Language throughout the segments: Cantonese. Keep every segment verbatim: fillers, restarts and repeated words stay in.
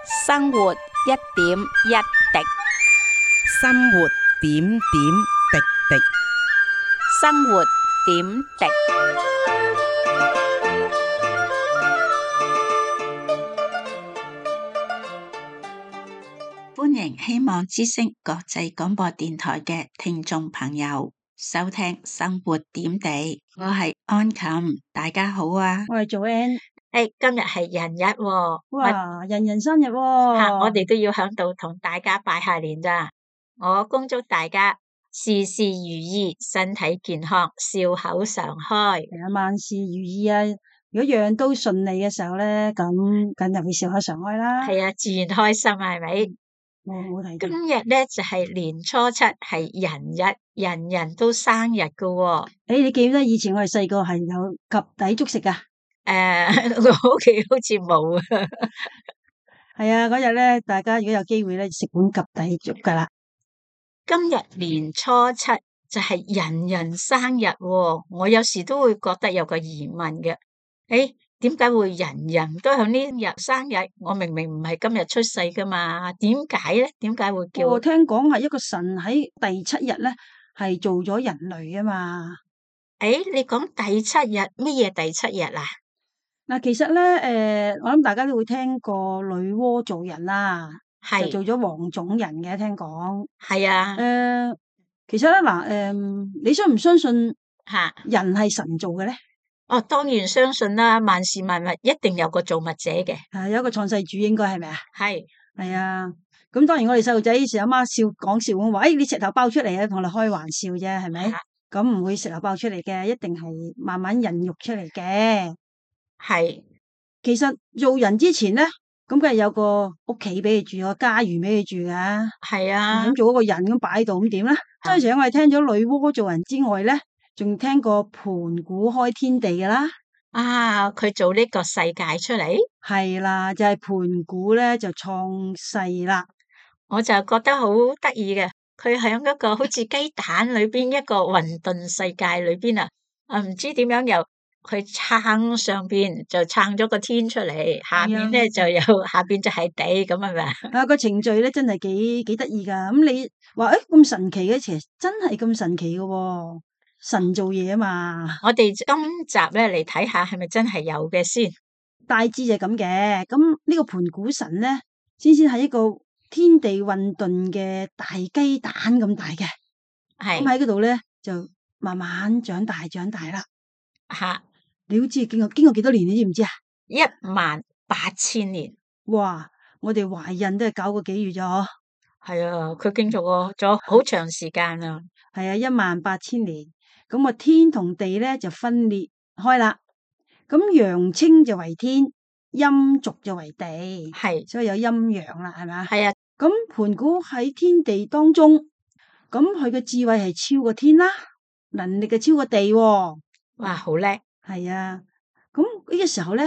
生活一點一滴，生活點點滴滴。生活點滴。歡迎希望之聲國際廣播電台嘅聽眾朋友收聽生活點滴，我係安琴，大家好啊！我係做 N，誒，今日係人日喎，哇，人人生日喎，吓，我哋都要響度同大家拜下年咋。我恭祝大家事事如意，身體健康，笑口常開，係啊，萬事如意啊！如果樣樣都順利嘅時候咧，咁梗係會笑口常開啦。係啊，自然開心係咪？我冇睇今見。日咧就係年初七，係人日，人人都生日噶喎。誒，你記唔記得以前我哋細個係有及第粥食噶？誒，我屋企好似冇啊。係啊，嗰日咧，大家如果有機會咧，食碗及第粥噶啦。今日年初七就係人人生日喎，我有時都會覺得有個疑問嘅，誒，點解會人人都響呢日生日？我明明唔係今日出世噶嘛，點解咧？點解會叫？我聽講係一個神喺第七日咧，係做咗人類啊嘛。誒，你講第七日乜嘢第七日啊？嗱，其實咧，誒，我諗大家都會聽過女媧做人啦，就係做咗黃種人嘅，聽講。係啊，誒，其實咧，嗱，誒，你相唔相信吓，人係神做嘅咧？哦，當然相信啦，萬事萬物一定有個造物者嘅，係有一個創世主，應該係咪啊？係係啊。咁當然我哋細路仔時阿媽笑講笑咁話，誒，你石頭爆出嚟啊，同我哋開玩笑啫，係咪？吓咁唔會石頭爆出嚟嘅，一定係慢慢孕育出嚟嘅。係其實做人之前咧，咁梗係有個屋企俾佢住，有個家園俾佢住噶。係啊，咁做一個人咁擺喺度，咁點咧？所以除咗我哋聽咗女媧做人之外咧，仲聽過盤古開天地噶啦。啊，佢做呢個世界出嚟，係啦，就係盤古咧就創世啦。我就覺得好得意嘅，佢喺一個好似雞蛋裏邊一個混沌世界裏邊啊，啊唔知點樣由佢撐上邊就撐咗個天出嚟，下面咧就有下邊就係地咁係咪啊？啊，個程序咧真係幾幾得意噶。咁你話誒咁神奇嘅，其實真係咁神奇嘅喎，神做嘢啊嘛。我哋今集咧嚟睇下係咪真係有嘅先。大致就係咁嘅。咁呢個盤古神咧，先先係一個天地混沌嘅大雞蛋咁大嘅。咁係喺嗰度咧就慢慢長大長大啦。吓你好知經過經過幾多年，你知唔知啊？一萬八千年，哇！我哋懷孕都係九個幾月咋嗬？係啊，佢經歷過咗好長時間啊。係啊，一萬八千年。咁啊，天同地咧就分裂開啦。咁陽清就為天，陰濁就為地，係所以有陰陽啦，係咪啊？係啊，咁盤古喺天地當中，咁佢嘅智慧係超過天啦，能力嘅超過地喎。哇，好叻，係啊。咁呢個時候咧，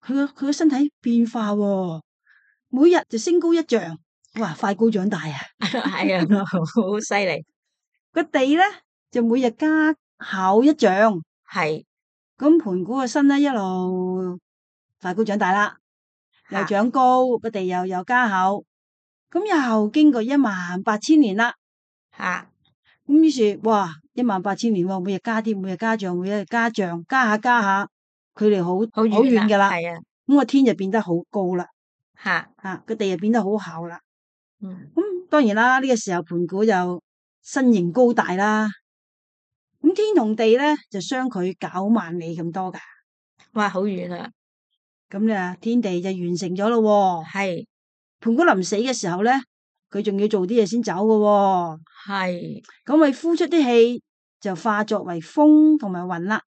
佢個佢個身體變化喎，每日就升高一丈，哇！快高長大啊！係啊，好犀利，個地咧就每日加厚一丈，係咁盤古個身咧一路快高長大啦，又吓長高，個地又又加厚，咁又經過一萬八千年啦。吓咁於是哇，一萬八千年喎，每日加啲，每日加丈，每日加丈，加下加下，距離好好好遠噶啦。係啊，咁個天就變得好高啦，吓吓個地就變得好厚啦。嗯咁當然啦，呢個時候盤古就身形高大啦。咁天同地咧就相距九萬里咁多噶。哇，好遠啊，咁咧天地就完成咗咯。係盤古臨死嘅時候咧，佢仲要做啲嘢先走噶。係咁佢呼出啲氣就化作為風同埋雲啦。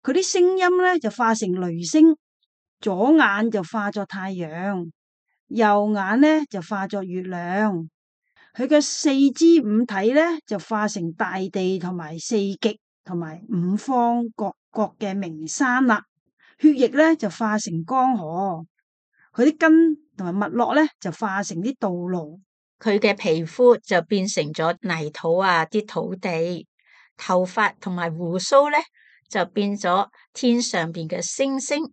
佢啲聲音咧就化成雷聲，左眼就化作太陽，右眼咧就化作月亮。佢嘅四肢五體咧就化成大地同埋四極同埋五方各國嘅名山啦。血液咧就化成江河，佢啲筋同埋脈絡咧就化成啲道路。佢嘅皮膚就變成咗泥土啊，啲土地，頭髮同埋鬍鬚咧就變咗天上邊嘅星星，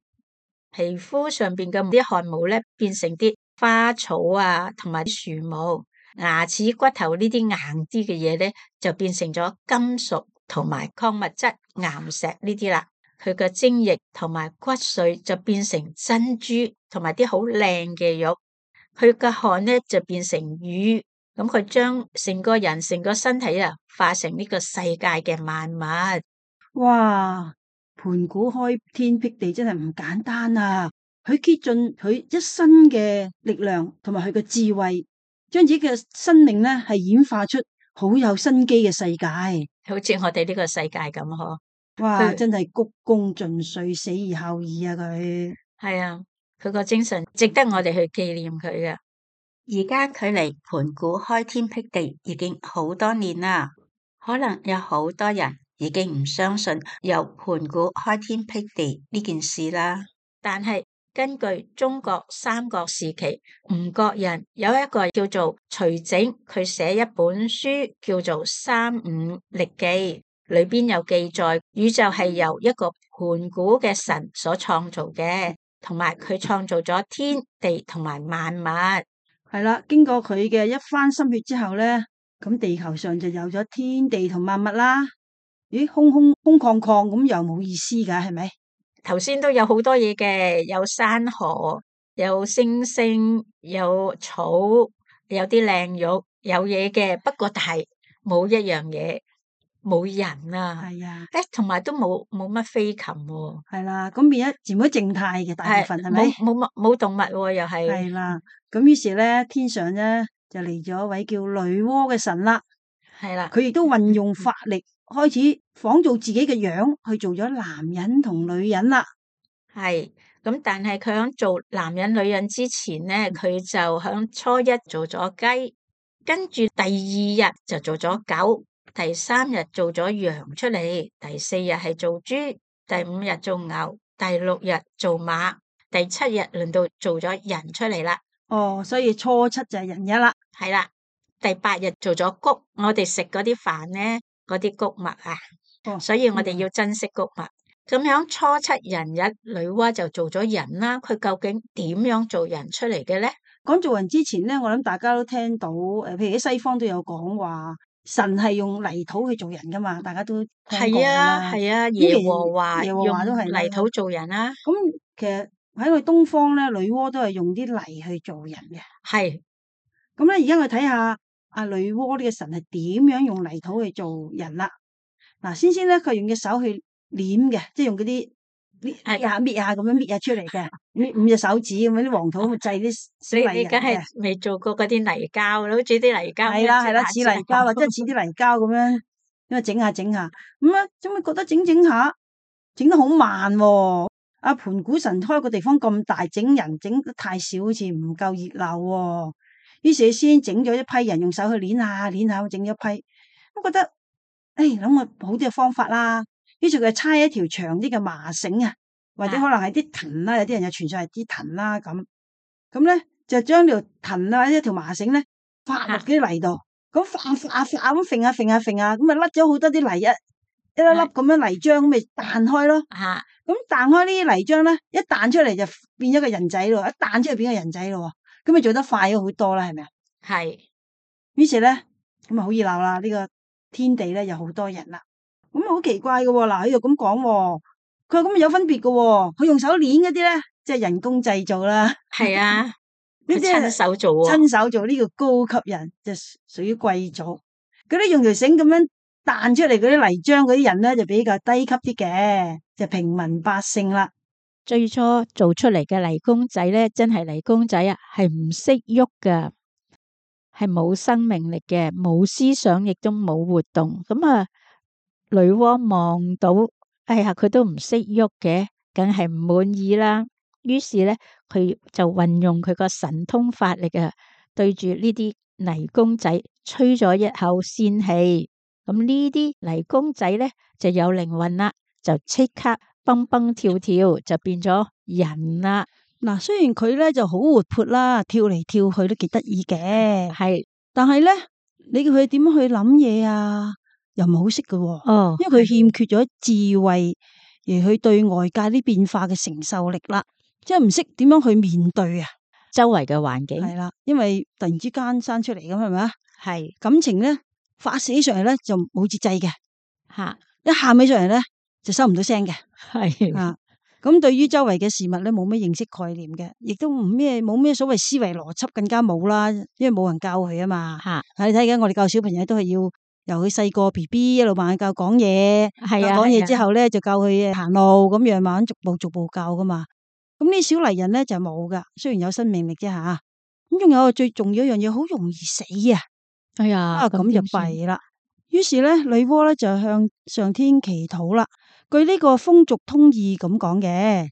皮膚上邊嘅啲汗毛咧變成啲花草啊，同埋啲樹木、牙齒、骨頭呢啲硬啲嘅嘢咧，就變成咗金屬同埋礦物質、岩石呢啲啦。佢嘅精液同埋骨髓就變成珍珠同埋啲好靚嘅玉。佢嘅汗咧就變成雨。咁佢將成個人、成個身體啊，化成呢個世界嘅萬物。哇！盤古開天闢地真係唔簡單啊！佢竭盡佢一身嘅力量同埋佢嘅智慧，將自己嘅生命咧係演化出好有生機嘅世界，好似我哋呢個世界咁嗬。哇！佢真係鞠躬盡瘁，死而後已啊！佢係啊，佢個精神值得我哋去紀念佢嘅。而家距離盤古開天闢地已經好多年啦，可能有好多人已經唔相信有盤古開天闢地呢件事啦。但係根據中國三國時期吳國人有一個叫做徐整，佢寫一本書叫做《三五歷記》，裏邊有記載宇宙係由一個盤古嘅神所創造嘅，同埋佢創造咗天地同埋萬物。係啦，經過佢嘅一番心血之後咧，咁地球上就有咗天地同萬物啦。咦，空空空曠曠咁又冇意思噶，係咪？頭先都有好多嘢嘅，有山河，有星星，有草，有啲靚玉，有嘢嘅。不過但係冇一樣嘢，冇人啊。係啊，誒，同埋都冇冇乜飛禽喎。係啦，咁變咗全部靜態嘅大部分係咪？冇冇乜冇動物喎，又係。係啦，咁於是咧，天上咧就嚟咗一位叫女媧嘅神啦。係啦，佢亦都運用法力，開始仿造自己嘅樣去做咗男人同女人啦。係咁，但係佢響做男人女人之前咧，佢就響初一做咗雞，跟住第二日就做咗狗，第三日做咗羊出嚟，第四日係做豬，第五日做牛，第六日做馬，第七日輪到做咗人出嚟啦。哦，所以初七就係人日啦。係啦，第八日做咗穀，我哋食嗰啲飯咧，嗰啲穀物啊，哦，所以我哋要珍惜穀物。咁樣初七人日，女媧就做咗人啦。佢究竟點樣做人出嚟嘅咧？講做人之前咧，我諗大家都聽到，誒，譬如喺西方都有講話，神係用泥土去做人噶嘛，大家都聽過係啊，啦。係啊，咁耶其和華耶和華都係用泥土做人啦。咁其實喺我哋東方咧，女媧都係用啲泥去做人嘅。係，咁咧，而家我睇下阿女媧呢個神係點樣用泥土去做人啦。嗱，先先咧，佢用隻手去捻嘅，即係用嗰啲搣搣下搣下咁樣搣下出嚟嘅，搣五隻手指咁樣啲黃土咁製啲小你泥人你梗係嘅。未做過嗰啲泥膠，好似啲泥膠咁樣係啦係啦，似整下泥膠或者似啲泥膠咁樣，因為整下整下，咁啊，點解覺得整整下整得好慢喎？阿盤古神開個地方咁大，整人整得太少，好似唔夠熱鬧喎。於是先整咗一批人用手去捻下捻下，整咗一批，咁覺得誒諗個好啲嘅方法啦。於是佢就差一條長啲嘅麻繩啊，或者可能係啲藤啦，有啲人就傳上係啲藤啦咁。咁咧就將條藤啊，一條麻繩咧發落啲泥度，咁發發發咁揈下揈下揈下，咁咪甩咗好多啲泥，一一粒粒咁樣泥漿咁咪彈開咯。吓，咁彈開呢啲泥漿咧，一彈出嚟就變咗個人仔咯，一彈出嚟變個人仔咯，咁咪做得快咗好多啦，係咪啊？係，於是咧咁啊好熱鬧啦，呢個天地咧有好多人啦。咁啊好奇怪嘅喎，嗱佢又咁講喎，佢話咁有分別嘅喎，佢用手捏嗰啲咧，即係人工製造啦。係啊，呢佢啲親手做喎。親手做呢個高級人，就屬於貴族。嗰啲用條繩咁樣彈出嚟嗰啲泥漿嗰啲人咧，就比較低級啲嘅，就平民百姓啦。最初做出嚟嘅泥公仔咧，真係泥公仔啊，係唔識喐噶，係冇生命力嘅，冇思想，亦都冇活動。咁啊，女媧望到，哎呀，佢都唔識喐嘅，梗係唔滿意啦。於是咧，佢就運用佢個神通法力啊，對住呢啲泥公仔吹咗一口仙氣。咁呢啲泥公仔咧就有靈魂啦，就即刻蹦蹦跳跳，就變咗人啦。嗱，雖然佢咧就好活潑啦，跳嚟跳去都幾得意嘅，係，但係咧，你叫佢點樣去諗嘢啊？又唔係好識嘅喎，哦，因為佢欠缺咗智慧，而去對外界啲變化嘅承受力啦，即係唔識點樣去面對啊。周圍嘅環境。係啦，因為突然之間生出嚟咁係咪啊？係感情咧發泄起上嚟咧就冇節制嘅，吓，一喊起上嚟咧就收唔到聲嘅。係啊，咁對於周圍嘅事物咧冇咩認識概念嘅，亦都唔咩冇咩所謂思維邏輯，更加冇啦，因為冇人教佢啊嘛。吓，你睇緊我哋教小朋友都係要由佢細個 B B 一路慢慢教講嘢，係啊，教講嘢之係啊後咧就教佢行路咁樣，慢慢逐步逐步教噶嘛。咁呢小泥人咧就冇噶，雖然有生命力啫吓。咁仲有最重要一樣嘢，好容易死啊！哎呀，啊咁就點算弊啦。於是咧，女媧咧就向上天祈禱啦。據呢個風俗通義咁講嘅，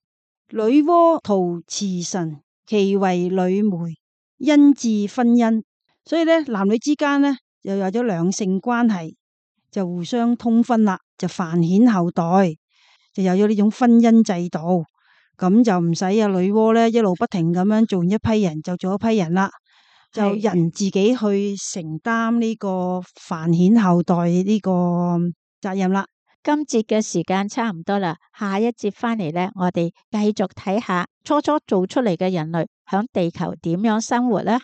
女媧圖辭神，其為女媒，因致婚姻。所以咧，男女之間咧又有咗兩性關係，就互相通婚啦，就繁衍後代，就有咗呢種婚姻制度。咁就唔使啊女媧咧一路不停咁樣做完一批人就做一批人啦，就人自己去承擔呢個繁衍後代呢個責任啦。今節嘅時間差唔多啦，下一節翻嚟咧，我哋繼續睇下初初做出嚟嘅人類響地球點樣生活呢？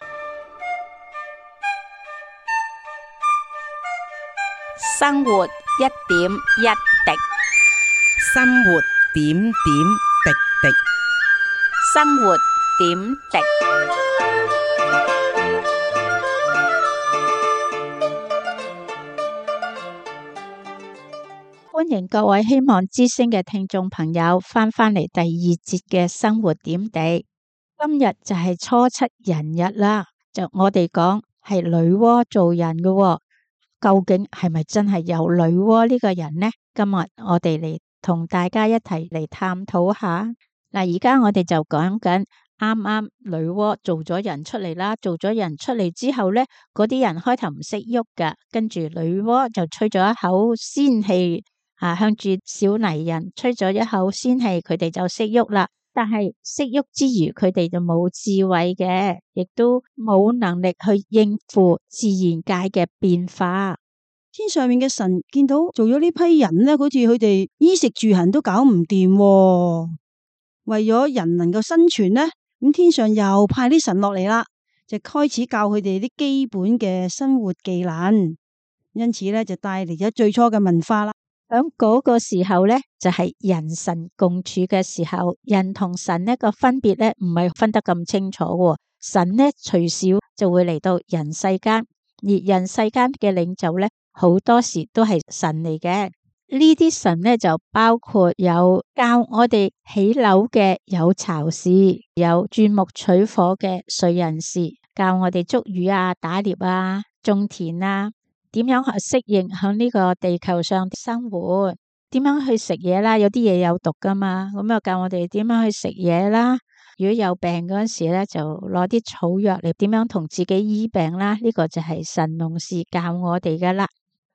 生活一點一滴，生活點點滴滴。生活點滴。歡迎各位希望之聲嘅聽眾朋友翻返嚟第二節嘅生活點滴。今日就係初七人日啦，就我哋講係女媧做人嘅喎，究竟係咪真係有女媧呢個人呢？今日我哋嚟同大家一齊嚟探討下。嗱，而家我哋就講緊啱啱女媧做咗人出嚟啦，做咗人出嚟之後呢，嗰啲人開頭唔識喐噶，跟住女媧就吹咗一口仙氣。啊！向住小泥人吹咗一口仙氣，佢哋就識喐啦。但係識喐之餘，佢哋就冇智慧嘅，亦都冇能力去應付自然界嘅變化。天上面嘅神見到做咗呢批人咧，好似佢哋衣食住行都搞唔掂喎。為咗人能夠生存咧，咁天上又派啲神落嚟啦，就開始教佢哋啲基本嘅生活技能。因此咧，就帶嚟咗最初嘅文化啦。喺嗰個時候咧，就係人神共處嘅時候，人同神呢個分別咧，唔係分得咁清楚喎。神呢隨時就會嚟到人世間，而人世間嘅領袖咧，好多時都係神嚟嘅。呢啲神咧就包括有教我哋起樓嘅有巢氏，有鑽木取火嘅燧人氏，教我哋捉魚啊、打獵啊、種田啊。點樣去適應喺呢個地球上生活？點樣去食嘢啦？有啲嘢有毒噶嘛，咁又教我哋點樣去食嘢啦。如果有病嗰陣時咧，就攞啲草藥嚟點樣同自己醫病啦。呢個就係神農氏教我哋噶啦。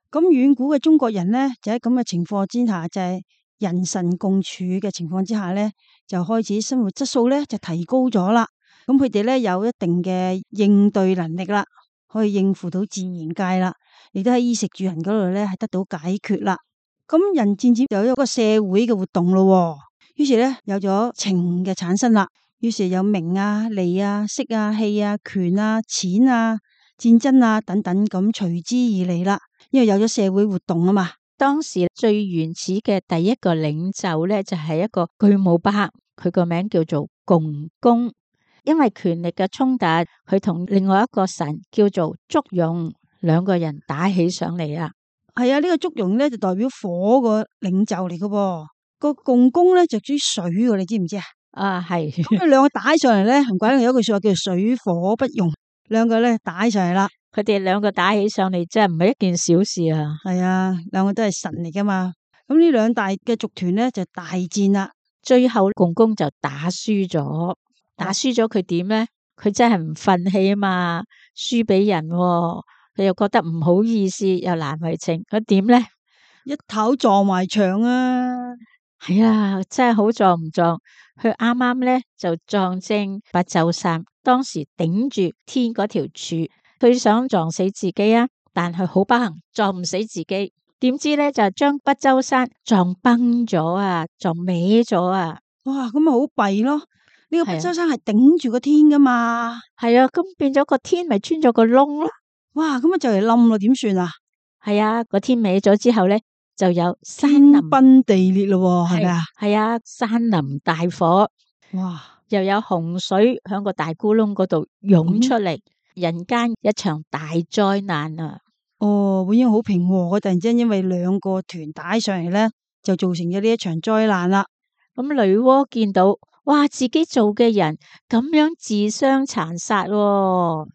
咁遠古嘅中國人咧，就喺咁嘅情況之下，就係人神共處嘅情況之下咧，就開始生活質素咧就提高咗啦。咁佢哋咧有一定嘅應對能力啦，可以應付到自然界啦。亦都喺衣食住行嗰度咧，係得到解決啦。咁人漸漸有一個社會嘅活動咯，於是咧有咗情嘅產生啦。於是有名啊、利啊、色啊、氣啊、權啊、錢啊、戰爭啊等等咁隨之而嚟啦。因為有咗社會活動啊嘛。當時最原始嘅第一個領袖咧，就係一個巨無霸，佢個名叫做共工。因為權力嘅衝突，佢同另外一個神叫做祝融。兩個人打起上嚟啊！係啊，呢個祝融咧就代表火個領袖嚟噶噃，個共工咧就屬於水噶，你知唔知啊？啊，係咁佢兩個打起上嚟咧，唔怪得有一句說話叫做水火不容。兩個咧打起上嚟啦，佢哋兩個打起上嚟真係唔係一件小事啊！係啊，兩個都係神嚟噶嘛。咁呢兩大嘅族團咧就大戰啦，最後共工就打輸咗，打輸咗佢點咧？佢真係唔忿氣啊嘛，輸俾人喎。佢又覺得唔好意思，又難為情，佢點咧？一頭撞埋牆啊！係啊，真係好撞唔撞？佢啱啱咧就撞正不周山，當時頂住天嗰條柱，佢想撞死自己啊，但係好不幸撞唔死自己，點知咧就將不周山撞崩咗啊，撞歪咗啊！哇，咁咪好弊咯！呢個不周山係頂住個天噶嘛。係啊，咁變咗個天咪穿咗個窿咯。哇，咁啊就嚟冧咯，點算啊？係啊，個天歪咗之後咧，就有山天林崩地裂咯，係咪啊？係啊，山林大火，哇！又有洪水響個大咕窿嗰度湧出嚟，人間一場大災難啊！哦，本應好平和嘅，突然之間因為兩個團打上嚟咧，就造成咗呢一場災難啦。咁女媧見到，哇，自己做嘅人咁樣自相殘殺喎，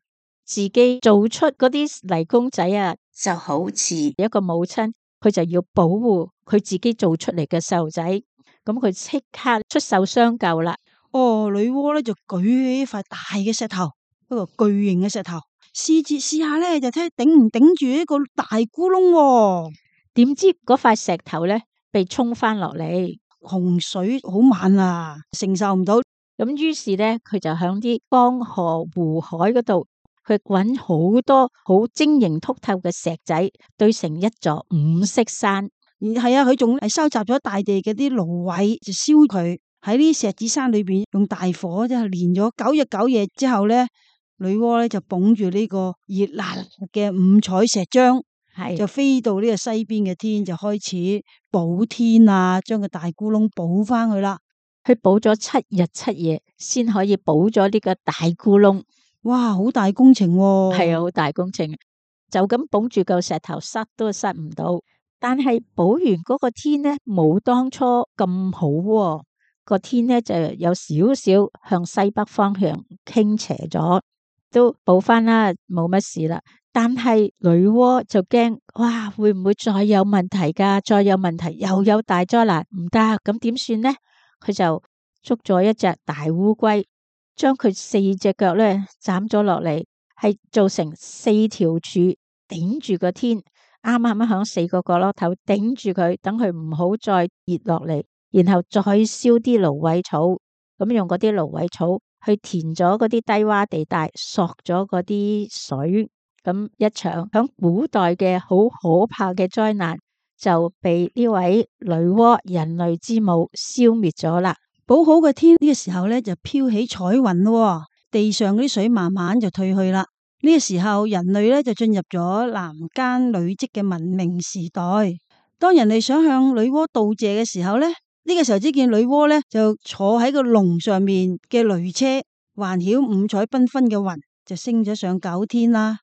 自己做出嗰啲泥公仔啊，就好似一個母親，佢就要保護佢自己做出嚟嘅細路仔，咁佢即刻出手相救啦。哦，女媧咧就舉起一塊大嘅石頭，一個巨型嘅石頭，試住試下咧，就睇下頂唔頂住一個大咕窿喎。點知嗰塊石頭咧被沖翻落嚟，洪水好猛啊，承受唔到。咁於是咧，佢就響啲江河湖海嗰度，佢搵好多好晶瑩剔透嘅石仔，堆成一座五色山。而係啊，佢仲係收集咗大地嘅啲蘆葦，就燒佢喺呢石子山裏邊，用大火即係煉咗九日九夜之後咧，女媧咧就捧住呢個熱辣嘅五彩石漿，係就飛到呢個西邊嘅天，就開始補天啊，將個大咕窿補翻去啦。佢補咗七日七夜，先可以補咗呢個大咕窿。哇，好大工程喎！係啊，好大工程，就咁捧住嚿石頭塞都塞唔到。但係補完嗰個天咧，冇當初咁好喎。個天咧就有少少向西北方向傾斜咗，都補翻啦，冇乜事啦。但係女媧就驚，哇，會唔會再有問題噶？再有問題又有大災難，唔得，咁點算呢？佢就捉咗一隻大烏龜，將佢四隻腳咧斬咗落嚟，係做成四條柱頂住個天，啱啱響四個角落頭頂住佢，等佢唔好再跌落嚟。然後再燒啲蘆葦草，咁用嗰啲蘆葦草去填咗嗰啲低洼地帶，索咗嗰啲水，咁一場響古代嘅好可怕嘅災難就被呢位女媧人類之母消滅咗啦。補好嘅天呢個時候咧就飄起彩雲咯，地上嗰啲水慢慢就退去啦。呢個時候人類咧就進入咗男耕女織嘅文明時代。當人類想向女媧道謝嘅時候咧，呢個時候只見女媧咧就坐喺個龍上面嘅驢車，環繞五彩繽紛嘅雲，就升咗上九天啦。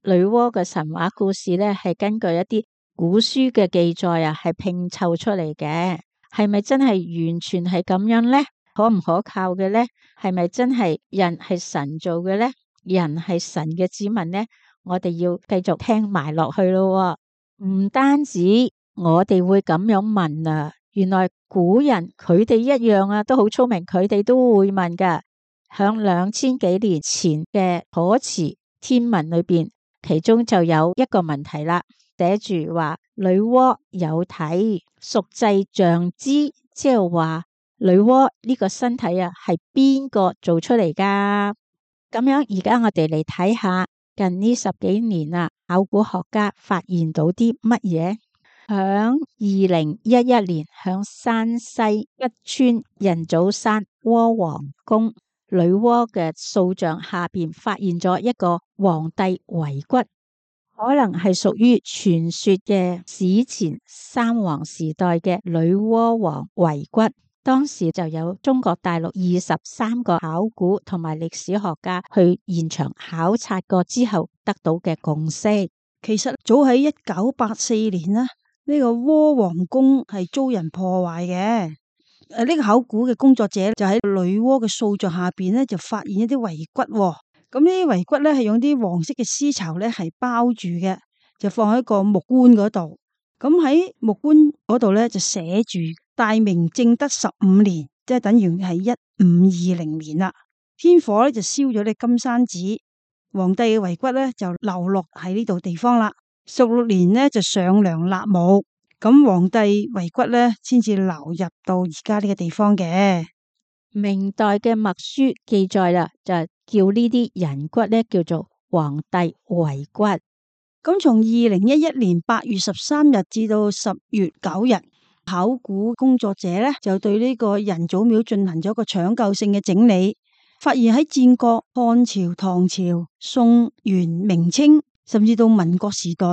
女媧嘅神話故事咧係根據一啲古書嘅記載啊，係拼湊出嚟嘅。係咪真係完全係咁樣咧？可唔可靠嘅咧？係咪真係人係神做嘅咧？人係神嘅子民咧？我哋要繼續聽埋落去咯。唔單止我哋會咁樣問啊，原來古人佢哋一樣啊，都好聰明，佢哋都會問噶。響兩千幾年前嘅楚辭天文裏邊，其中就有一個問題啦，寫住話女媧有體，孰製象之？即係話女媧呢個身體啊，係邊個做出嚟噶？咁樣而家我哋嚟睇下近呢十幾年啊，考古學家發現到啲乜嘢？響二零一一年，響山西吉川人祖山媧皇宮女媧嘅塑像下邊發現咗一個皇帝遺骨，可能係屬於傳說嘅史前三皇時代嘅女媧王遺骨。當時就有中國大陸二十三個考古同埋歷史學家去現場考察過之後得到嘅共識。其實早喺一九八四年啦。呢個媧皇宮係遭人破壞嘅。誒，呢個考古嘅工作者就喺女媧嘅塑像下邊咧，就發現一啲遺骨。咁呢啲遺骨咧係用啲黃色嘅絲綢咧係包住嘅，就放喺個木棺嗰度。咁喺木棺嗰度咧就寫住大明正德十五年，即係等於係一五二零年啦。天火咧就燒咗啲金山寺，皇帝嘅遺骨咧就流落喺呢度地方啦。十六年呢就上梁立墓，咁皇帝遺骨咧先至流入到而家呢個地方嘅。明代嘅墨書記載啦，就叫呢啲人骨咧叫做皇帝遺骨。咁從二零一一年八月十三日至到十月九日，考古工作者咧就對呢個人祖廟進行咗一個搶救性嘅整理，發現喺戰國、漢朝、唐朝、宋、元、明清，甚至到民國時代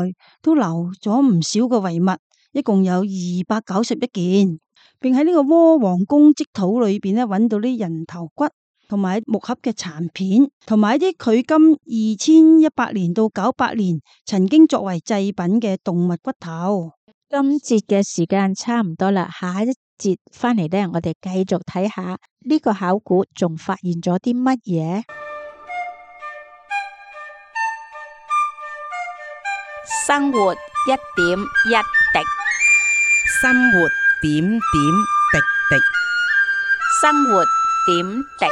都留咗唔少嘅遺物，一共有二百九十一件，並喺呢個窩王宮積土裏邊咧揾到啲人頭骨同埋木盒嘅殘片，同埋一啲距今二千一百年到九百年曾經作為祭品嘅動物骨頭。今節嘅時間差唔多啦，下一節翻嚟呢，我哋繼續睇下呢個考古仲發現咗啲乜嘢。生活一點一滴，生活點點滴滴。生活點滴。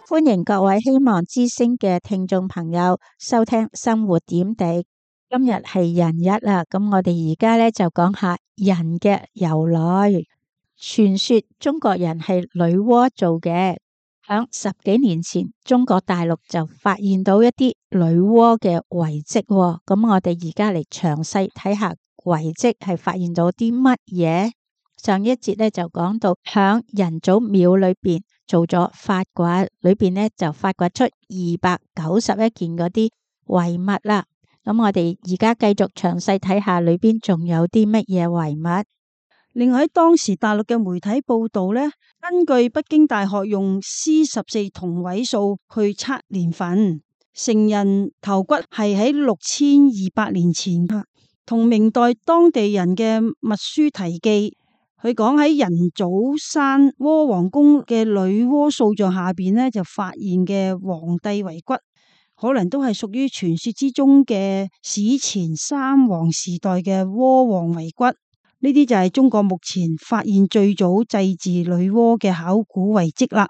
歡迎各位希望之聲嘅聽眾朋友收聽生活點滴。今日係人日啦，咁我哋而家咧就講下人嘅由來。傳說中國人係女媧做嘅，響十幾年前，中國大陸就發現到一啲女媧嘅遺跡。咁我哋而家嚟詳細睇下遺跡係發現到啲乜嘢。上一節咧就講到響人祖廟裏邊做咗發掘，裏邊咧就發掘出二百九十一件嗰啲遺物啦。咁我哋而家繼續詳細睇下裏邊仲有啲乜嘢遺物。另外喺當時大陸嘅媒體報道咧，根據北京大學用 C 十四同位素去測年份，成人頭骨係喺六千二百年前，同明代當地人嘅密書題記。佢講喺人祖山窩王宮嘅女媧塑像下邊呢，就發現嘅皇帝遺骨，可能都係屬於傳說之中嘅史前三皇時代嘅媧王遺骨。呢啲就係中國目前發現最早祭祀女媧嘅考古遺跡啦。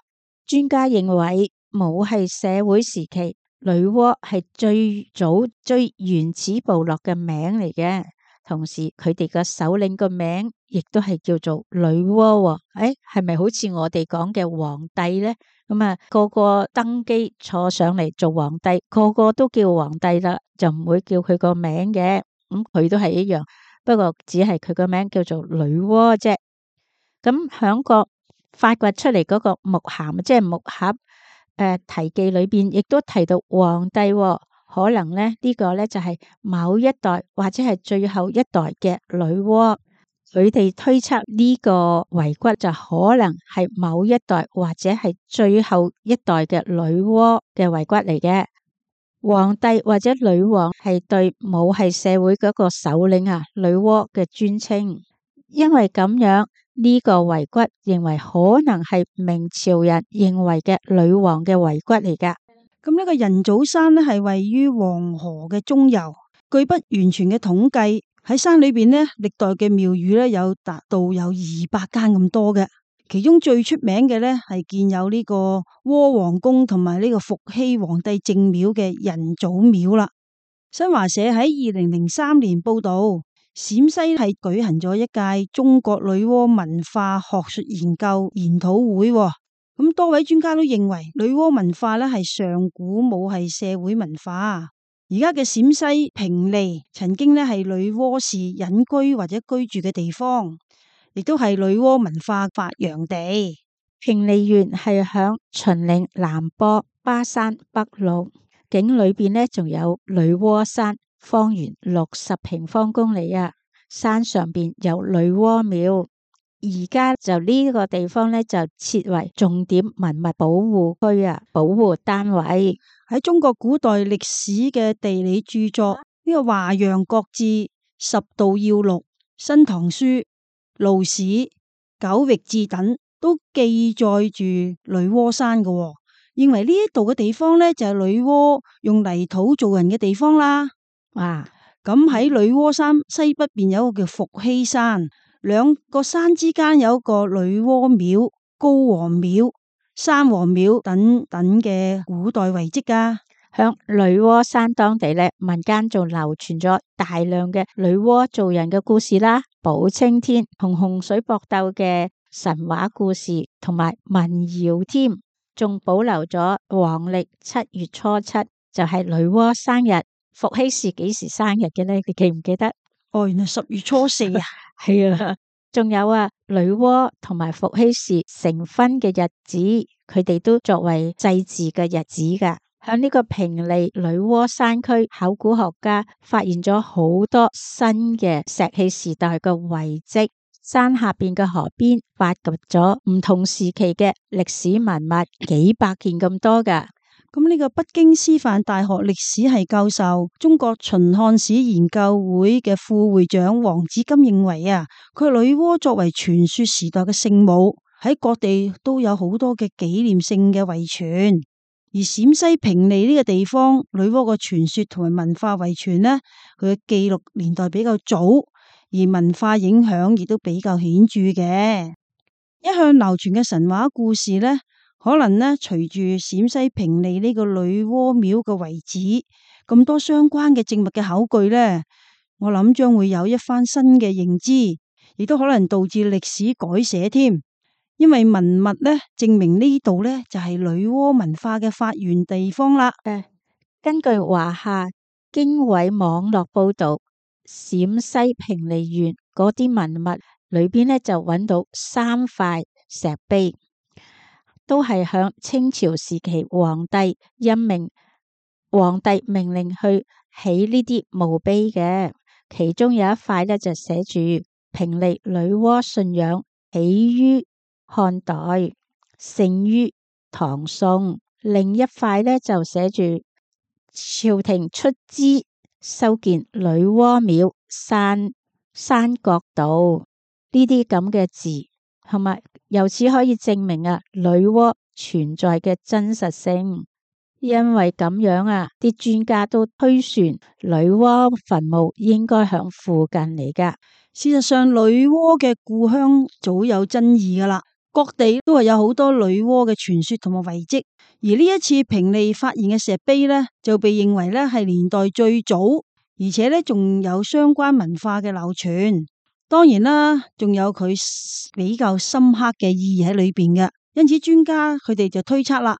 專家認為母系社會時期，女媧係最早最原始部落嘅名嚟嘅。同時佢哋個首領個名亦都係叫做女媧。誒，係咪好似我哋講嘅皇帝呢？咁啊，個個登基坐上嚟做皇帝，個個都叫皇帝啦，就唔會叫佢個名嘅。咁佢都係一樣，不過只係佢個名叫做女媧啫。咁響個發掘出嚟嗰個木函，即係木盒誒題記裏邊，亦都提到皇帝。可能咧呢個咧就係某一代或者係最後一代嘅女媧，佢哋推測呢個遺骨就可能係某一代或者係最後一代嘅女媧嘅遺骨嚟嘅。皇帝或者女王係對母系社會嗰個首領啊女媧嘅尊稱，因為咁樣呢個遺骨認為可能係明朝人認為嘅女王嘅遺骨嚟噶。咁呢個人祖山呢係位於黃河嘅中游，據不完全嘅統計，喺山裏邊呢，歷代嘅廟宇呢有達到有二百間咁多嘅，其中最出名嘅呢係建有呢個窩王宮同埋呢個伏羲皇帝正廟嘅人祖廟啦。新華社喺二零零三年報道，陝西係舉行咗一屆中國女媧文化學術研究研討會。咁多位專家都認為女媧文化咧係上古母系社會文化。而家嘅陝西平利曾經咧係女媧氏隱居或者居住嘅地方，亦都係女媧文化發揚地。平利縣係響秦嶺南坡巴山北麓，境裏邊咧仲有女媧山，方圓六十平方公里啊。山上邊有女媧廟。而家就呢個地方咧就設為重點文物保護區啊，保護單位。喺中國古代歷史嘅地理著作呢、這個《華陽國志》《十道要錄》《新唐書》《路史》《九域志》等都記載住女媧山嘅、哦，認為呢一度嘅地方咧就係、是、女媧用泥土做人嘅地方啦。啊，咁喺女媧山西北邊有一個叫伏羲山。兩個山之間有一個女媧廟、高王廟、山王廟等等嘅古代遺跡噶。響女媧山當地咧，民間仲流傳咗大量嘅女媧做人嘅故事啦，補青天同洪水搏鬥嘅神話故事同埋民謠添，仲保留咗黃曆七月初七就係女媧生日。伏羲氏幾時生日嘅呢？你記唔記得？哦，原來十月初四啊。係啊，仲有啊，女媧同埋伏羲氏成婚嘅日子，佢哋都作為祭祀嘅日子噶。喺呢個平利女媧山區，考古學家發現咗好多新嘅石器時代嘅遺跡，山下邊嘅河邊發掘咗唔同時期嘅歷史文物，幾百件咁多噶。咁呢個北京師範大學歷史系教授、中國秦漢史研究會嘅副會長黃子金認為啊，佢女媧作為傳說時代嘅聖母，喺各地都有好多嘅紀念性嘅遺傳。而陝西平利呢個地方，女媧嘅傳說同埋文化遺傳呢，佢嘅記錄年代比較早，而文化影響亦都比較顯著嘅。一向流傳嘅神話故事呢，可能呢，隨住陝西平利呢個女媧廟嘅遺址咁多相關嘅證物嘅考據呢，我諗將會有一番新嘅認知，亦都可能導致歷史改寫添。因為文物呢，證明呢度呢就係女媧文化嘅發源地方啦。誒，根據華夏經緯網絡報道，陝西平利縣嗰啲文物裏邊呢，就揾到三塊石碑。都係響清朝時期，皇帝任命皇帝命令去起呢啲墓碑嘅。其中有一塊咧就寫住平利女媧信仰起於漢代，盛於唐宋。另一塊咧就寫住朝廷出資修建女媧廟山山角道呢啲咁嘅字。同埋由此可以證明啊，女媧存在嘅真實性。因為咁樣啊，啲專家都推算女媧墳墓應該響附近嚟噶。事實上，女媧嘅故鄉早有爭議噶啦，各地都係有好多女媧嘅傳說同埋遺跡。而呢一次平利發現嘅石碑呢，就被認為咧係年代最早，而且咧仲有相關文化嘅流傳。當然啦，仲有佢比較深刻嘅意義喺裏邊嘅，因此專家佢哋就推測啦，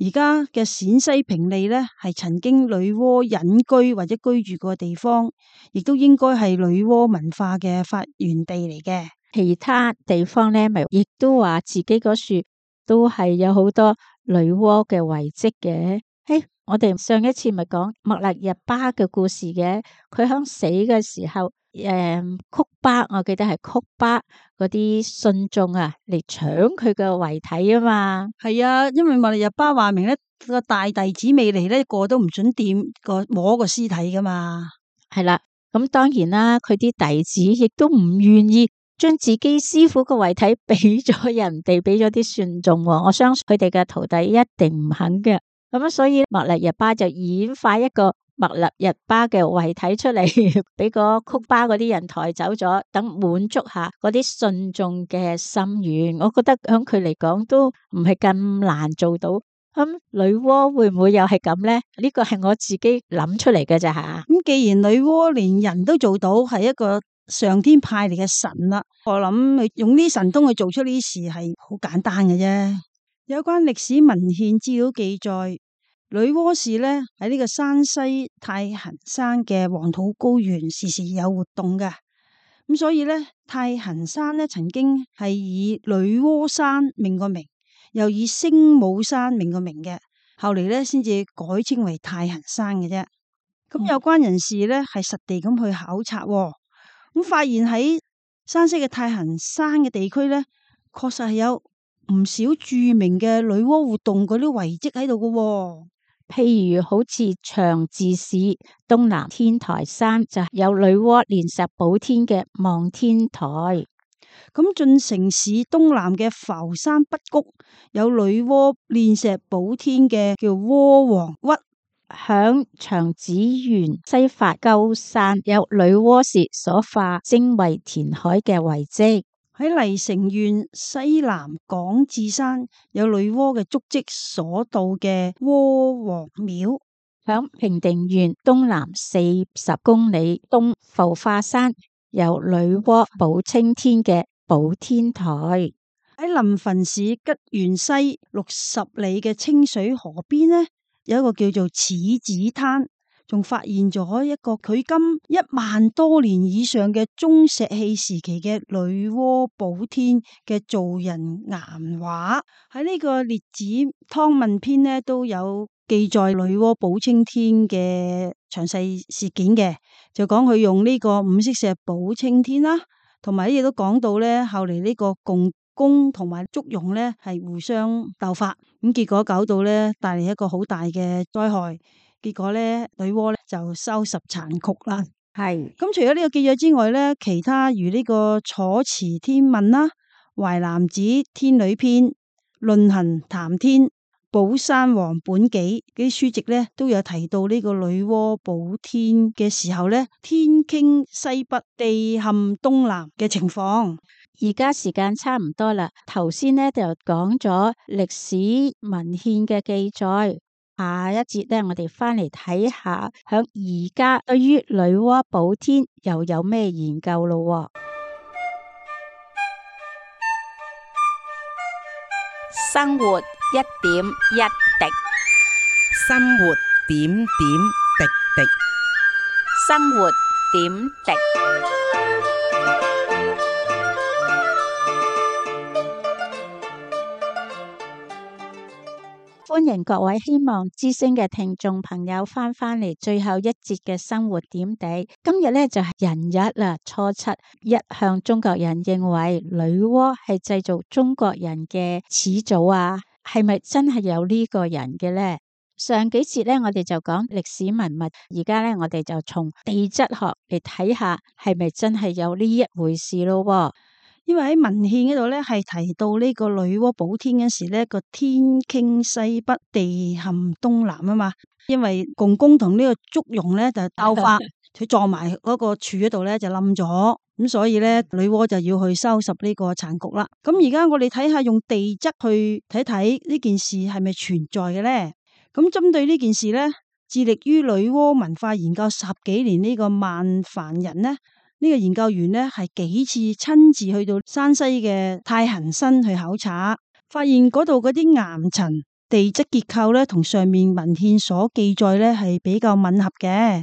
而家嘅陝西平利呢，係曾經女媧隱居或者居住過嘅地方，亦都應該係女媧文化嘅發源地嚟嘅。其他地方呢，咪亦都話自己嗰處都係有好多女媧嘅遺跡嘅。嘿，我哋上一次咪講莫勒日巴嘅故事嘅，佢響死嘅時候。誒、嗯，曲巴，我記得係曲巴嗰啲信眾啊，嚟搶佢嘅遺體啊嘛。係啊，因為莫勒日巴話明咧個大弟子未嚟咧，個都唔准掂個摸個屍體噶嘛。係啦，咁當然啦，佢啲弟子亦都唔願意將自己師傅嘅遺體俾咗人哋，俾咗啲信眾。我相信佢哋嘅徒弟一定唔肯嘅。咁所以莫勒日巴就演化一個。莫勒日巴嘅遺體出嚟，俾個曲巴嗰啲人抬走咗，等滿足下嗰啲信眾嘅心願。我覺得響佢嚟講都唔係咁難做到。咁女媧會唔會又係咁呢？呢個係我自己諗出嚟嘅咋吓。咁既然女媧連人都做到，係一個上天派嚟嘅神啦，我諗用呢神通去做出呢啲事係好簡單嘅啫。有關歷史文獻資料記載。女媧氏呢喺呢個山西太行山嘅黃土高原時時有活動嘅，咁所以呢，太行山呢曾經係以女媧山命個名，又以聖母山命個名嘅，後嚟呢先至改稱為太行山嘅啫。咁有關人士呢係實地咁去考察，咁發現喺山西嘅太行山嘅地區呢，確實係有唔少著名嘅女媧活動嗰啲遺跡喺度嘅。譬如好似長治市東南天台山就有女媧煉石補天嘅望天台，咁晉城市東南嘅浮山北谷有女媧煉石補天嘅叫媧王屈，響長子縣西發鳩山有女媧氏所化精衛填海嘅遺跡。喺黎城縣西南廣智山有女媧嘅足跡所到嘅媧王廟，響平定縣東南四十公里東浮化山有女媧補青天嘅補天台。喺臨汾市吉縣西六十里嘅清水河邊呢，有一個叫做柿子灘，仲發現咗一個距今一萬多年以上嘅中石器時期嘅女媧補天嘅造人岩畫。喺呢個列子湯問篇呢都有記載女媧補青天嘅詳細事件嘅，就講佢用呢個五色石補青天啦，同埋亦都講到呢後嚟呢個共工同埋祝融呢係互相鬥法，咁結果搞到呢帶嚟一個好大嘅災害，結果呢女媧呢就收拾殘局啦。係咁除咗呢個記載之外呢，其他如呢個楚辭天問啦、淮南子天女篇、論衡談天、寶山王本紀啲書籍呢都有提到呢個女媧補天嘅時候呢，天傾西北，地陷東南嘅情況。而家時間差唔多啦，頭先呢就講咗歷史文獻嘅記載，下一節呢，我哋翻嚟睇下，響而家對於女媧補天又有咩研究咯？生活一點一滴，生活點點滴滴。生活點滴。歡迎各位希望之聲嘅聽眾朋友翻返嚟最後一節嘅生活點滴。今日呢就係人日啦，初七。一向中國人認為女媧係製造中國人嘅始祖啊，係咪真係有呢個人嘅呢？上幾節呢，我哋就講歷史文物，而家呢，我哋就從地質學嚟睇下，係咪真係有呢一回事咯？因為喺文獻嗰度咧，係提到呢個女媧補天嗰時咧，個天傾西北，地陷東南啊嘛。因為共工同呢個祝融咧就鬥法，佢撞埋嗰個柱嗰度咧就冧咗，咁所以咧女媧就要去收拾呢個殘局啦。咁而家我哋睇下用地質去睇睇呢件事係咪存在嘅咧？咁針對呢件事咧，致力於女媧文化研究十幾年呢個萬凡人呢。呢個研究員呢係幾次親自去到山西嘅太行山去考察，發現嗰度嗰啲岩層地質結構呢同上面文獻所記載呢係比較吻合嘅。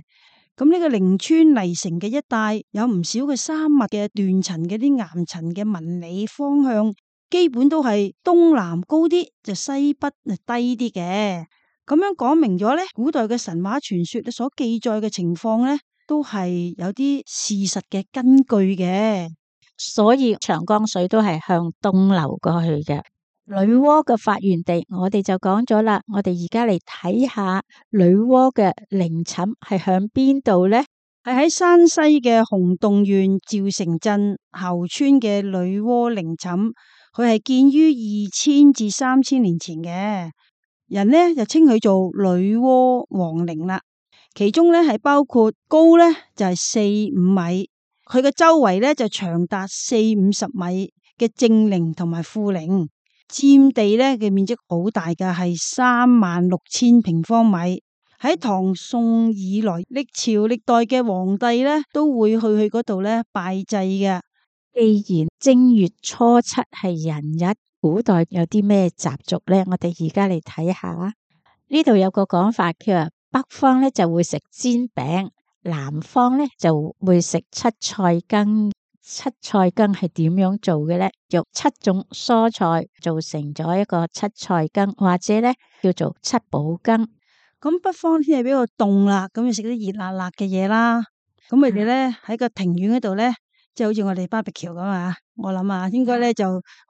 咁呢個靈川泥城嘅一帶有唔少嘅山脈嘅斷層嘅啲岩層嘅紋理方向，基本都係東南高啲，就西北就低啲嘅。咁樣講明咗呢，古代嘅神話傳說所記載嘅情況呢，都係有啲事實嘅根據嘅，所以長江水都係向東流過去嘅。女媧嘅發源地，我哋就講咗啦。我哋而家嚟睇下女媧嘅陵寢係響邊度呢？係喺山西嘅洪洞縣趙城鎮後村嘅女媧陵寢，佢係建於二千至三千年前嘅，人呢就稱佢做女媧王陵啦。其中咧係包括高咧就係四五米，佢嘅周圍咧就長達四五十米嘅正陵同埋副陵，佔地咧嘅面積好大嘅，係三萬六千平方米。喺唐宋以來，歷朝歷代嘅皇帝咧都會去去嗰度咧拜祭嘅。既然正月初七係人日，古代有啲咩習俗咧？我哋而家嚟睇下。呢度有個講法，佢話北方咧就會食煎餅，南方咧就會食七菜羹。七菜羹係點樣做嘅咧？用七種蔬菜做成咗一個七菜羹，或者咧叫做七寶羹。咁北方天氣比較凍啦，咁要食啲熱辣辣嘅嘢啦。咁佢哋咧喺個庭院嗰度咧，即係好似我哋巴比橋咁啊。我諗啊，應該咧就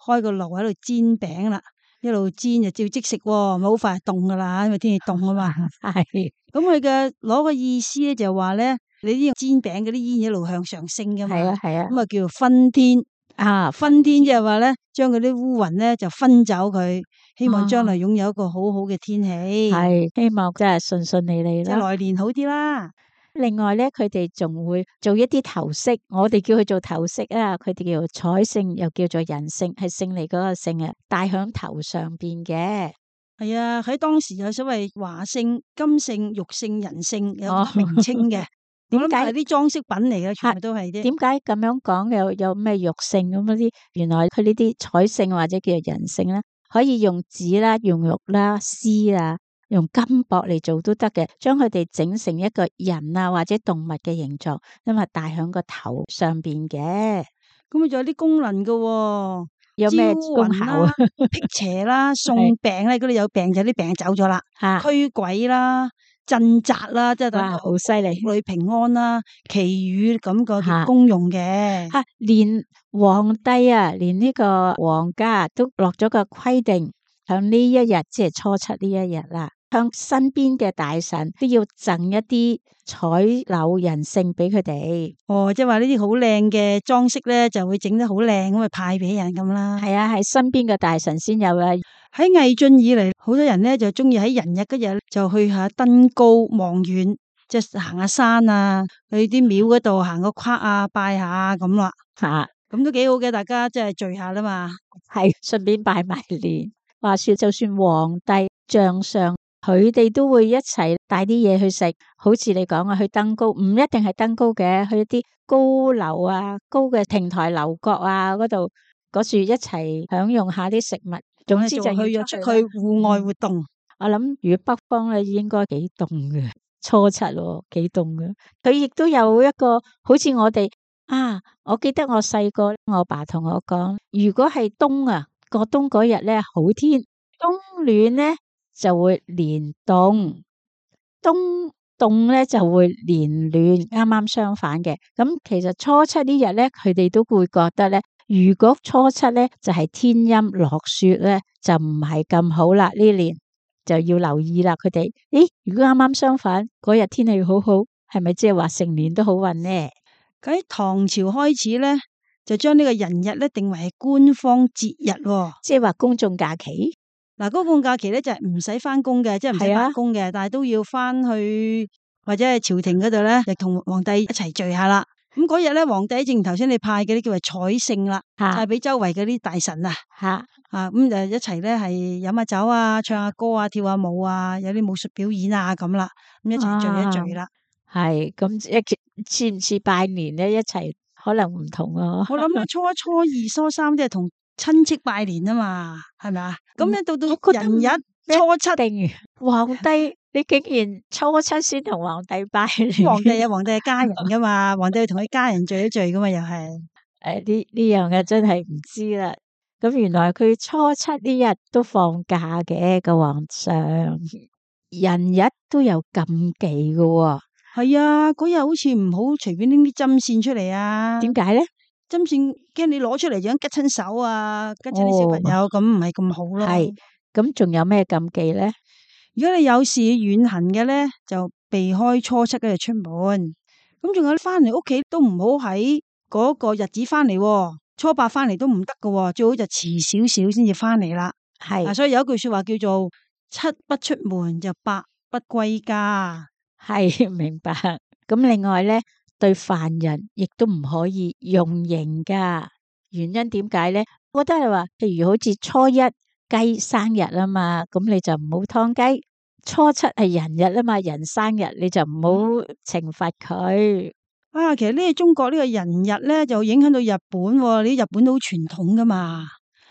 開個爐喺度煎餅啦。一路煎就照即食，哦，咪好快凍噶啦，因為天氣凍啊嘛。係，咁佢嘅攞個意思咧就話咧，你啲煎餅嗰啲煙一路向上升噶嘛。係啊係啊，咁啊叫做分天啊，分天即係話咧，將嗰啲烏雲咧就分走佢，希望將來擁有一個好好嘅天氣。係，希望真係順順利利啦，即係來年好啲啦。另外咧，佢哋仲會做一啲頭飾，我哋叫佢做頭飾啊，佢哋叫做彩勝，又叫做人勝，係勝利嗰個勝啊，戴響頭上邊嘅。係啊，喺當時有所謂華勝、金勝、玉勝、人勝有名稱嘅。點解係啲裝飾品嚟嘅？全部都係啲。點解咁樣講？有有咩玉勝咁嗰啲？原來佢呢啲彩勝或者叫做人勝咧，可以用紙啦、用玉啦、絲啊用金箔嚟做都得嘅，將佢哋整成一個人啊或者動物嘅形狀，因為戴喺個頭上邊嘅。咁佢仲有啲功能噶、哦，有咩招功效啊？魂啦、辟邪啦、送病咧，嗰啲有病就啲病走咗啦，吓，驅鬼啦、鎮宅啦，即係等哇，好犀利！屋裏平安啦、祈雨咁個功用嘅。吓，連皇帝啊，連呢個皇家都落咗個規定，響呢一日即係初七呢一日啦，向身邊嘅大臣都要贈一啲彩柳人參俾佢哋。哦，即係話呢啲好靚嘅裝飾咧，就會整得好靚咁啊，派俾人咁啦。係啊，係身邊嘅大臣先有啊。喺魏晉以嚟，好多人咧就中意喺人日嗰日就去下登高望遠，即係行下山啊，去啲廟嗰度行個框啊，拜下咁啦。吓，咁都幾好嘅，大家即係聚下啦嘛。係順便拜埋年。話說就算皇帝、將相，佢哋都會一齊帶啲嘢去食。好似你講啊，去登高唔一定係登高嘅，去啲高樓啊、高嘅亭台樓閣啊嗰度嗰處一齊享用下啲食物。總之就去咗要出去戶外活動。我諗如果北方咧，應該幾凍嘅，初七咯，幾凍嘅。佢亦都有一個好似我哋啊，我記得我細個，我爸同我講，如果係冬啊，過冬嗰日咧好天，冬暖咧就會連凍，冬凍咧就會連暖，啱啱相反嘅。咁其實初七呢日咧，佢哋都會覺得咧，如果初七咧就係天陰落雪咧，就唔係咁好啦。呢年就要留意啦。佢哋，咦？如果啱啱相反，嗰日天氣好好，係咪即係話成年都好運呢？喺唐朝開始咧，就將呢個人日咧定為係官方節日，哦，即係話公眾假期。嗱，公共假期咧就係唔使翻工嘅，即係唔使翻工嘅，但係都要翻去或者係朝廷嗰度咧，就同皇帝一齊聚下啦。咁嗰日咧，皇帝正如頭先你派嘅啲叫做彩聖啦，派俾周圍嗰啲大臣啊，吓啊咁就一齊咧係飲下酒啊，唱下歌啊，跳下舞啊，有啲武術表演啊咁啦，咁一齊聚一聚啦。係咁一似唔似拜年咧？一齊可能唔同啊。我諗初一、初二、初三即係同親戚拜年啊嘛，係咪啊？咁咧到到人日初七定皇帝，你竟然初七先同皇帝拜年？皇帝有皇帝嘅家人噶嘛，皇帝同佢家人聚一聚噶嘛，又係誒呢呢樣嘅真係唔知啦。咁原來佢初七呢日都放假嘅個皇上，人日都有禁忌嘅喎。係啊，嗰日好似唔好隨便拎啲針線出嚟啊。點解咧？針線驚你攞出嚟就吉親手啊，吉親啲小朋友，咁唔係咁好咯。係，咁仲有咩禁忌咧？如果你有事遠行嘅咧，就避開初七嗰日出門。咁仲有翻嚟屋企都唔好喺嗰個日子翻嚟，初八翻嚟都唔得噶，最好就遲少少先至翻嚟啦。係、啊，所以有一句說話叫做七不出門就八不歸家。係，明白。咁另外咧，對犯人亦都唔可以用刑噶。原因點解咧？我覺得係話，譬如好似初一雞生日啊嘛，咁你就唔好燙雞。初七係人日啊嘛，人生日你就唔好懲罰佢。啊，其實呢個中國呢個人日咧，就影響到日本、哦。你日本都好傳統噶嘛。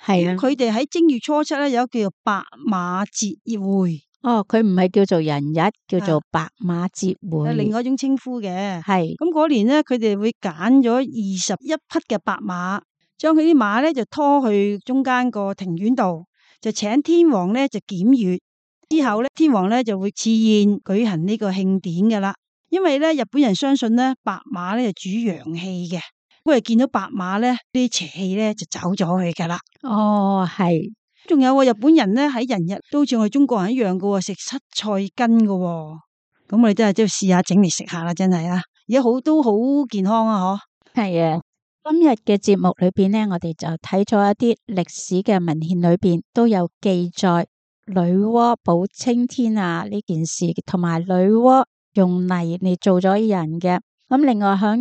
係啊，佢哋喺正月初七咧有叫做白馬節會。哦，佢唔係叫做人日，叫做白馬節會，係另外一種稱呼嘅。係咁嗰年咧，佢哋會揀咗二十一匹嘅白馬，將佢啲馬咧就拖去中間個庭院度，就請天皇咧就檢閱。之後咧，天皇咧就會賜宴舉行呢個慶典㗎啦。因為咧，日本人相信咧，白馬咧就主陽氣嘅，佢哋見到白馬咧，啲邪氣咧就走咗去噶啦。哦，係。仲有日本人咧喺人日都似我哋中國人一樣嘅，食七菜根嘅。咁我哋真係都要試下整嚟食下啦，真係啊！而家好都好健康啊，嗬。係啊，今日嘅節目裏邊咧，我哋就睇咗一啲歷史嘅文獻裏邊都有記載女媧補青天啊呢件事，同埋女媧用泥嚟做咗人嘅。咁另外喺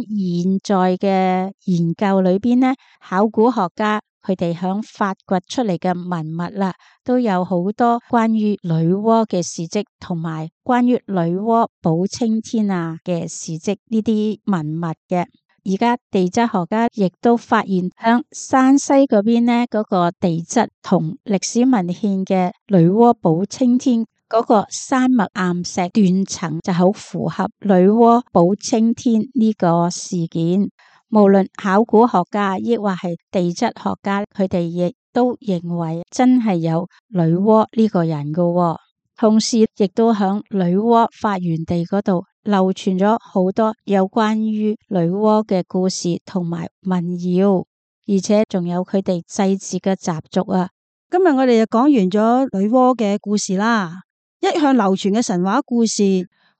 現在嘅研究裏邊咧，考古學家佢哋響發掘出嚟嘅文物啦，都有好多關於女媧嘅事跡，同埋關於女媧補青天啊嘅事跡呢啲文物嘅。而家地質學家亦都發現響山西嗰邊咧，嗰個地質同歷史文獻嘅女媧補青天嗰個山脈岩石斷層就好符合女媧補青天呢個事件。無論考古學家亦或係地質學家，佢哋亦都認為真係有女媧呢個人噶喎。同時亦都響女媧發源地嗰度流傳咗好多有關於女媧嘅故事同埋民謠，而且仲有佢哋祭祀嘅習俗啊。今日我哋就講完咗女媧嘅故事啦。一向流傳嘅神話故事，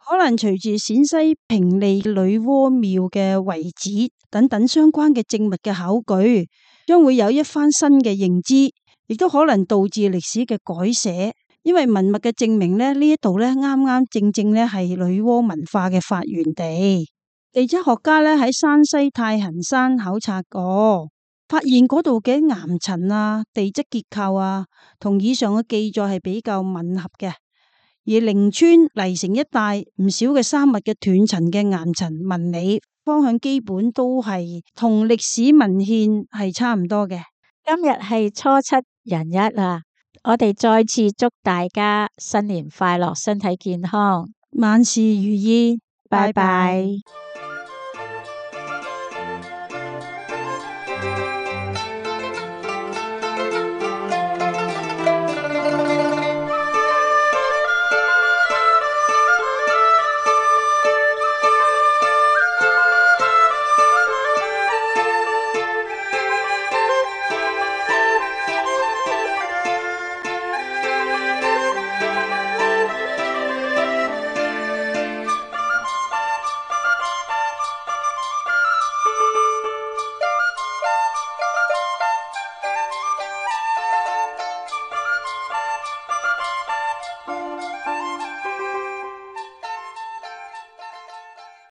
可能隨住陝西平利女媧廟嘅遺址等等相關嘅證物嘅考據，將會有一番新嘅認知，亦都可能導致歷史嘅改寫。因為文物嘅證明咧，呢一度咧啱啱正正咧係女媧文化嘅發源地。地質學家咧喺山西太行山考察過，發現嗰度嘅岩層啊、地質結構啊，同以上嘅記載係比較吻合嘅。而靈川、黎城一帶唔少嘅山脈嘅斷層嘅岩層紋理方向基本都係同歷史文獻係差唔多嘅。今日係初七人日啊，我哋再次祝大家新年快樂，身體健康，萬事如意，拜拜。拜拜。